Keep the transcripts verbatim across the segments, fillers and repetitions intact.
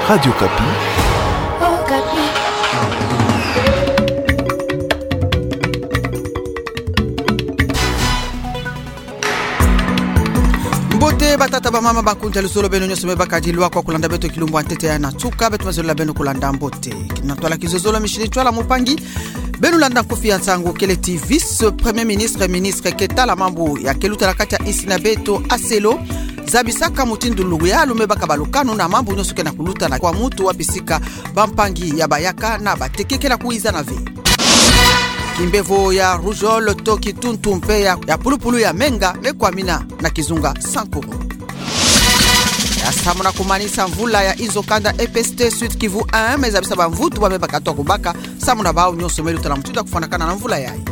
Radio Okapi. Mbote batata, bamama, bakonzi ya luzolo, beno nyonso me bakadi lwakwa kulanda beto kilumbu ya ntete ya na nsuka, beto me zolila beno kulanda mbote. Na ntwala kizozolo, Micheline Ntwala Mupangi, beno landa nkufi ya nsangu. Kele ti vice-premier ministre, ministre ke tala mambu ya ke luta na kati ya insi na beto, Aselo, zabisaka mutindu luyalu me baka balukanu na mambu nyonso ke na kuluta na kwa mutu wapi sika bampangi ya bayaka na bateke ke na kuwizana ve. Kimbevo ya rougeole to kituntu mpe ya, ya pulupulu ya menga me kwamina na kizunga Sankuru. Ya samu na kumanisa mvula ya inzo kanda, E P S T Sud-Kivu un me zabisa bamvutu ba me baka twa kubaka samu na bawu nyonso me luta na mutindu ya kufwanakana na mvula yayi.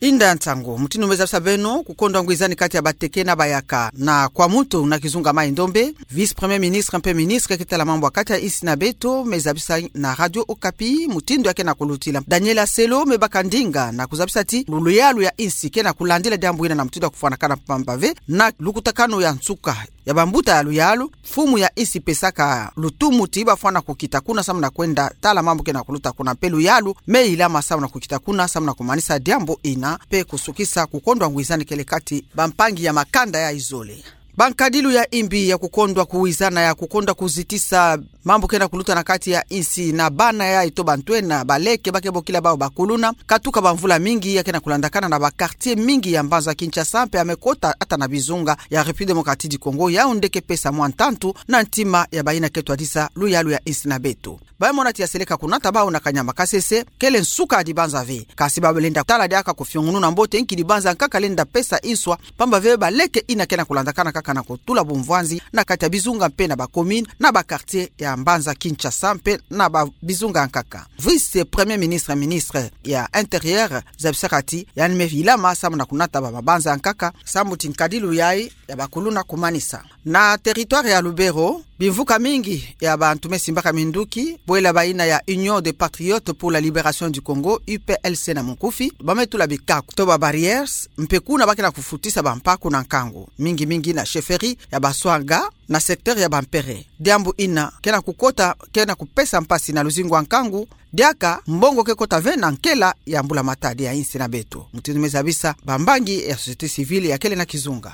Inda ya nsangu, mutindu me zabisa beno, kukondwa ngwizani kati ya bateke na bayaka na kwa mutu na kizunga Maï-Ndombe. Vice-premier ministre mpe ministre ke tala mambu ya kati ya insi na beto me zabisa na Radio Okapi mutindu ya ke na kulutila. Daniel Aselo me baka ndinga na kuzabisa ti luyalu ya insi ke na kulandila diambu ina na mutindu ya kufwanakana mpamba ve na lukutakanu ya nsuka ya bambuta ya luyalu, mfumu ya insi pesaka lutumu ti bafwana kukita kuna samu na kwenda tala mambu ke na kuluta kuna mpe luyalu me ilama samu na kukita kuna samu na kumanisa diambu ina mpe kusukisa kukondwa ngwizani kele kati bampangi ya makanda ya izole. Bankadilu ya imbi ya kukondwa kuwizana, ya kukondwa kuzitisa mambu ke na kuluta na kati ya insi na bana ya ito bantwenia baleke ba ke bokila bawu bakuluna, katuka bamvula mingi ya ke na kulandakana na ba quartier mingi ya mbanza Kinshasa mpe ya me kota ata na bizunga ya République Démocratique du Congo, Yaoundé ke pesa mwa ntantu na ntima ya bayina ke twadisa luyalu ya insi na beto. Ba me mona ti ya seleka kunata bawu na kanyama kasese, kele nsuka ya dibanza ve. Kasi ba lenda tala diaka kufiongununa mbote nki dibanza nkaka lenda pesa inswa, mpamba ve baleke ina ke na kulandakana kaka na kutula bumvwanzi na kati ya bizunga mpe na ba commune, na ba quartier ya mbanza Kinshasa mpe na ba bizunga nkaka. Vice-premier ministre, ministre ya Intérieur, zabisaka ti yandi me ilama samu na kunata ba mabanza nkaka, samu ti nkadilu yayi ya bakuluna kumanisa. Na territoire ya Lubero, bimvuka mingi ya bantu me simbaka minduki, bwela bayina ya Union des Patriotes pour la Libération du Congo, U P L C na munkufi, ba me tula bikaku to ba barrières, mpe kuna ba ke na kufutisa bampaku na nkangu, mingi mingi na chefferie ya Baswaga, na secteur ya Bampere. Diambu ina ke na kukota, ke na kupesa mpasi na luzingu ya nkangu, diaka mbongo ke kota ve na nkela ya mbula-matadi ya insi na beto. Mutindu me zabisa bambangi ya société civile ya kele na kizunga.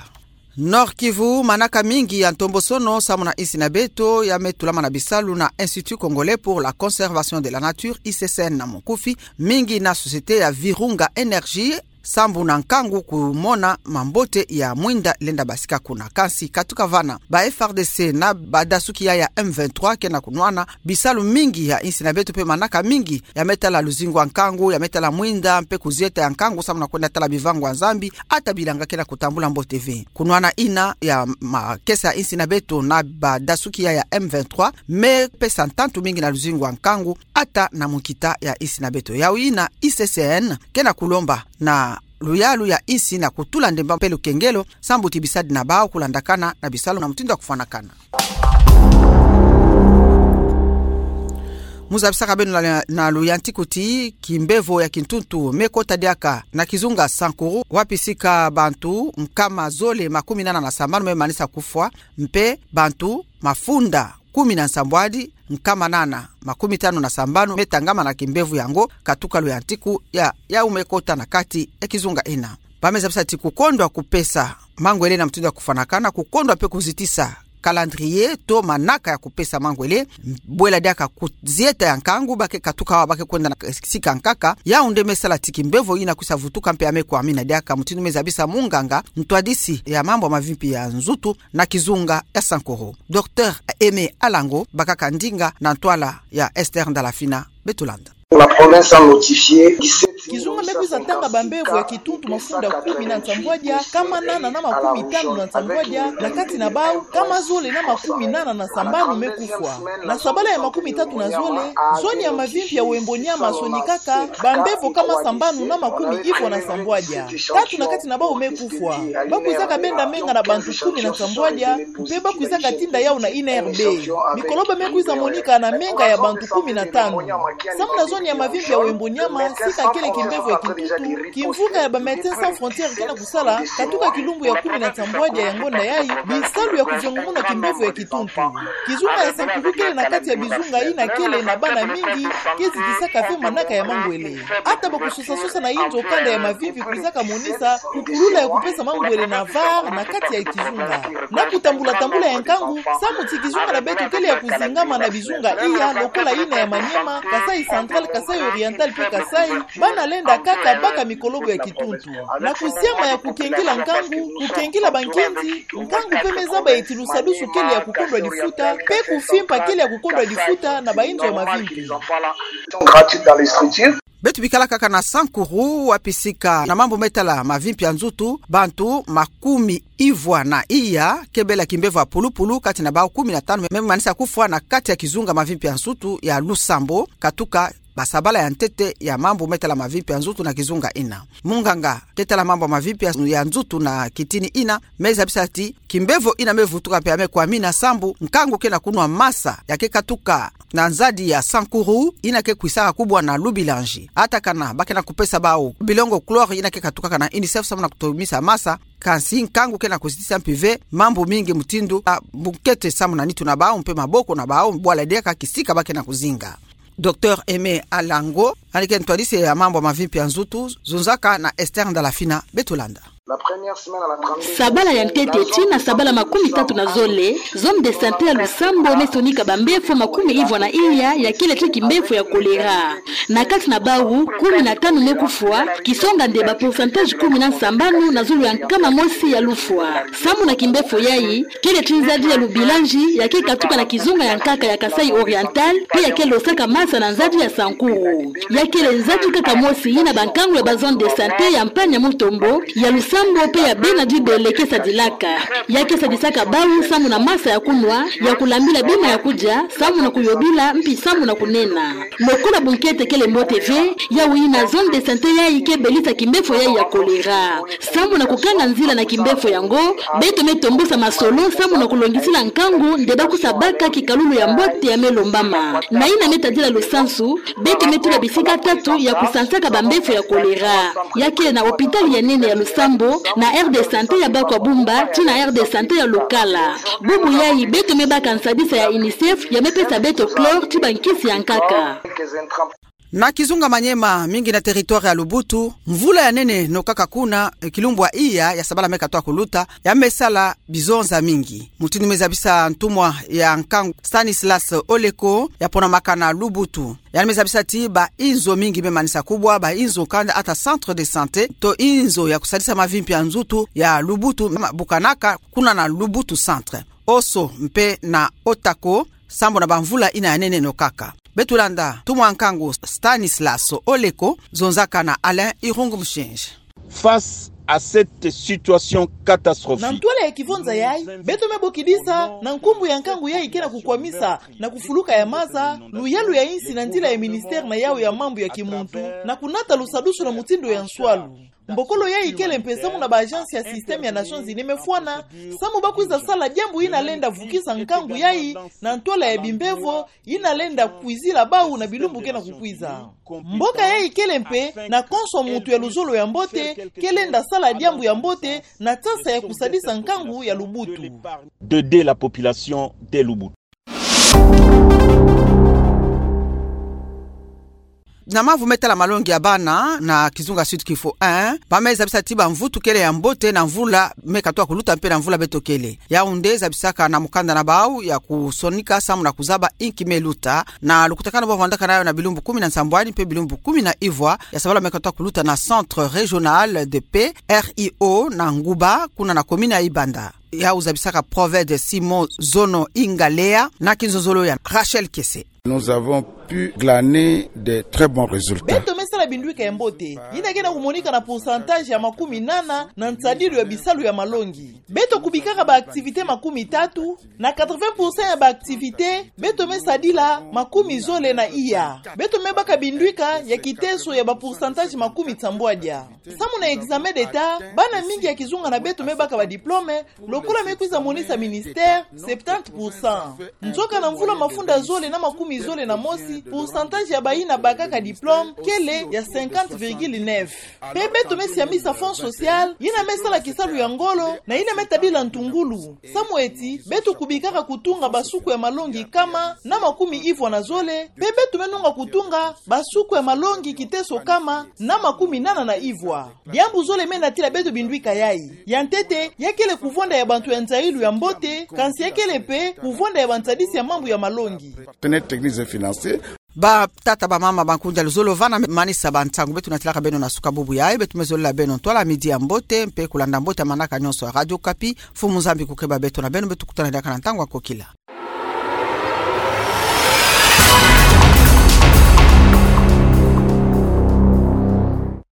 Nord-Kivu, manaka mingi ya ntombosono samu na insi na beto ya me tulama na bisalu na Institut Congolais pour la Conservation de la Nature, I C C N na munkufi, mingi na société ya Virunga Energy, sambu na nkangu kumona mambote ya mwinda lenda basika kuna. Kansi katuka vana, ba F A R D C na badasuki ya ya M vingt-trois ke na kunwana bisalu mingi ya insi na beto mpe manaka mingi ya me tala luzingu ya nkangu, ya me tala mwinda mpe kuzieta ya nkangu samu na kwenda tala bivangu ya Nzambi, ata bilanga ke na kutambula mbote ve. Kunwana ina ya makesa ya insi na beto na badasuki ya ya M vingt-trois me pesa ntantu mingi na luzingu ya nkangu ata na munkita ya insi na beto. Yawu ina I C C N ke na kulomba na luyalu ya insi na kutula ndemba mpe lukengelo, sambu ti bisadi na bawu kulandakana na bisalu na mutindu ya kufwanakana. Mu zabisaka beno na, na luyantiku ti kimbevo ya kintuntu me kota diaka na kizunga Sankuru, wapi sika bantu nkama zole makumi nana na sambanu me manisa kufwa, mpe bantu mafunda kumi na nsambwadi nkama nana makumi tanu na sambanu me tangama na kimbevo yango, katuka luyantiku ya, yawu me kota na kati ya kizunga ina. Ba me zabisa ti kukondwa kupesa mangwele na mutindu ya kufwanakana, kukondwa mpe kuzitisa calendrier to manaka ya kupesa mangwele, bwela diaka kuzieta ya nkangu, ba ke katuka awa, ba ke kwenda na sika nkaka. Yaoundé me sala ti kimbevo ina kwisa vutuka mpe ya me kwamina diaka, mutindu me zabisa munganga ntwadisi ya mambu ya mavimpi ya nzutu na kizunga ya Sankuru, Docteur Aimé Alango, bakaka ndinga na ntwala ya Esther Ndalafina. Beto landa. La province a notifié dix-sept mille huit cent cinquante-six cas de cancer cardiaque chronique à La Réunion. Kizunga me kwiza tanga bambevo ya kituntu mafunda kumi na nsambwadia, nkama nana na makumi tanu na nsambwadia, na kati na bawu nkama zole na makumi nana na sambanu me kufwa. Na sabala ya makumi tatu na zole, zone ya mavimpi ya Wembo-Niama sonikaka bambevo nkama sambanu na makumi iko na nsambwadia. Tatu na kati na bawu me kufwa. Ba kwizaka benda menga na bantu kumi na nsambwadia, mpe ba kwizaka tinda yawu na I N R B. Mikoloba me kwiza monika na menga ya bantu kumi na tanu. Samu na zone ya mavimpi ya Wembo-Niama, sika kele Kimbevo ya kituntu, kimvuka ya ba Médecins Sans Frontières ke na kusala katuka kilumbu ya kumi na nsambwadia ya ngonda yayi, bisalu ya kuzengumuna kimbevo ya kituntu. Kizunga ya Sankuru kele na kati ya bizunga ina kele na bana mingi ke zidisaka ve manaka ya mangwele. Ata bakusosasosa na inzo kanda ya mavimpi kwizaka monisa kukulula ya kupesa mangwele na var na kati ya kizunga. Na kutambula-tambula ya nkangu, samu ti kizunga na beto kele ya kuzingama na bizunga iya lokola ina ya Maniema, Kasaï Central, Kasaï Oriental mpe Kasaï, bana lenda kaka baka mikolobo ya kituntu. Na kusiama ya kukengila nkangu, kukengila bankinzi, nkangu mpe me zaba eti lusadusu kele ya kukondwa difuta, mpe kufimpa kele ya kukondwa difuta na bainzo ya mavimpi. Beto bikala kaka na Sankuru, wapi sika na mambu me tala mavimpi ya nzutu, bantu makumi ivwa na iya ke bela kimbevo ya pulupulu, kati na bau kumi na tanu me manisa kufwa na kati ya kizunga mavimpi ya nzutu ya Lusambo, katuka basabala ya ntete ya mambu me tala mavimpi ya nzutu na kizunga ina. Munganga ke tala mambu ya mavimpi ya, ya nzutu na kitini ina me zabisa ti kimbevo ina me vutuka mpe ya me kwamina sambu nkangu ke na kunwa masa ya ke katuka na nzadi ya Sankuru, ina ke kwisaka kubwa na Lubilanji. Ata kana ba ke na kupesa bau bilongo chlore ina ke katukaka na UNICEF samu na kutomisa masa, kansi nkangu ke na kuzitisa mpe ve mambu mingi mutindu, a, bunkete samu na nitu na bau mpe maboko na bau, bwala diaka kisika ba ke na kuzinga. Docteur Aimé Alango, yandi ke ntwadisi ya mambu ya mavimpi ya nzutu, zonzaka na Esther Ndalafina. Beto landa. Sabala ya ntete tii na sabala makumi tatu na zole, zone de santé ya Lusambo me sonika bambefo makumi ivwa na iya ya kele ti kimbefo ya choléra. Na kati na bau, kumi na tanu me kufwa, kisonga nde ba pourcentage kumi na nsambanu na zulu ya nkama mosi ya lufwa. Samu na kimbefo yayi, kele ti nzadi ya Lubilanji ya ke katuka na kizunga ya nkaka ya Kasaï Oriental, mpe ya ke losaka masa na nzadi ya Sankuru. Ya kele nzadi kaka mosi ina bankangu ya ba zone de santé ya Mpanya Mutombo, ya Lusambo mpe ya Bena Dibele ke sadilaka. Ya ke sadisaka bau samu na masa ya kunwa, ya kulambila bima ya kudia, samu na kuyobila, mpe samu na kunena. Lokola bunkete kele mbote ve, yau ina zone de santé yayi ke belisa kimbefo yayi ya choléra. Samu na kukanga nzila na kimbefo yango, beto me tombosa masolo samu na kulongisila nkangu nde ba kusa baka kikalulu ya mbote ya me lombama. Na ina me tadila lusansu, beto me tula bisika tatu ya kusansaka bambefo ya choléra. Ya kele na hôpital ya nene ya Lusambo, na aire de santé ya Bakwabumba, tii na aire de santé ya Lukala. Bubu yayi beto me baka nsadisa ya UNICEF ya me pesa beto chlore tii bankisi ya nkaka. Na kizunga Maniema, mingi na territoire ya Lubutu, mvula ya nene nokaka kuna, e, kilumbu ya iya ya sabala me katoa kuluta, ya me sala bizonza mingi. Mutindu me zabisa ntumwa ya nkangu Stanislas Oleko, ya ponamaka na Lubutu. Yandi me zabisa ti bainzo mingi me manisa kubwa, bainzo kanda ata centre de santé, to inzo ya kusadisa mavimpi ya nzutu ya Lubutu, ma-, bukanaka kuna na Lubutu centre. Oso mpe na Otako, sambu na bamvula ina ya nene nokaka. Beto landa ntumwa nkangu Stanislas Oleko, zonzaka na Alain Irungu Mushinji. Face à cette situation catastrophique. Na ntwala ya kivonza yayi, beto me bokidisa, na nkumbu ya nkangu yayi ke na kukwamisa, na kufuluka ya masa, luyalu ya insi na nzila ya ministère na yau ya mambu ya kimuntu, na kunata lusadusu na mutindu ya nswalu. Mbokolo yayi kele mpe samu na ba agence ya système ya Nations Unies me fwana, samu ba kwiza sala diambu ina lenda vukisa nkangu yayi, na ntwala ya bimbevo, ina lenda kwizila bau na bilumbu ke na kukwiza. Mboka yayi kele mpe na konso muntu ya luzolo ya mbote, ke lenda sala diambu ya mbote, na tsasa ya kusadisa nkangu ya Lubutu. D'aider la population de Lubutu. Na mambu me tala malongi ya bana, na kizunga Sud Kivu un, ba me zabisa ti bamvutu kele ya mbote na mvula me katoa kuluta mpe na mvula beto kele. Yau nde zabisaka na mukanda na bau ya kusonika samu na kuzaba inki me luta, na lukutakanu bavwandaka nayo na bilumbu kumi na nsambwadi mpe bilumbu kumi na ivwa ya sabala me katoa kuluta na Centre Régional de Paix, R I O, na Nguba, kuna na commune ya Ibanda. Yau zabisaka Proved Simon Zono Ingalea, na kinzonzolo ya Rachel Kese. Nous avons pu glaner de très bons résultats. Beto me sala bindwika ya mbote, ina ke na kumonika na pourcentage ya makumi nana na nsadilu ya bisalu ya malongi. Beto kubikaka ba activités makumi tatu, na quatre-vingts pour cent ya ba activités, beto me sadila makumi zole na iya. Beto me baka bindwika ya kiteso ya ba pourcentage makumi nsambwadia. Samu na examen d'État, bana mingi ya kizunga na beto me baka ba diplôme, lokola me kwiza monisa ministère, septante pour cent. Nzoka na mvula mafunda zole na makumi zole na mosi, pourcentage ya bayina bakaka diplôme kele ya cinquante virgule neuf. Pe beto me siamisa fonds social yina me sala kisalu ya ngolo na yina me tabila ntungulu. Samu eti beto kubikaka kutunga basuku ya malongi kama na makumi ivwa na zole, pe beto me nunga kutunga basuku ya malongi kiteso kama na makumi nana na ivwa. Diambu zole me natila beto binduika yayi. Ya ntete, ya kele kuvonda ya bantu ya nzayilu ya mbote, kansi ya kele pe kuvonda ya bansadisi ya mambu ya malongi. Partenaires techniques et financiers. Batata, bamama, bankundi ya luzolo, vana me manisa bantangu beto natilaka beno na suka bubu yayi. Beto me zolila beno ntwala midi ya mbote, mpe kulanda mbote ya manaka nyonso ya Radio Okapi. Mfumu Nzambi kukeba beto na beno, beto kutana diaka na ntangu ya kokila.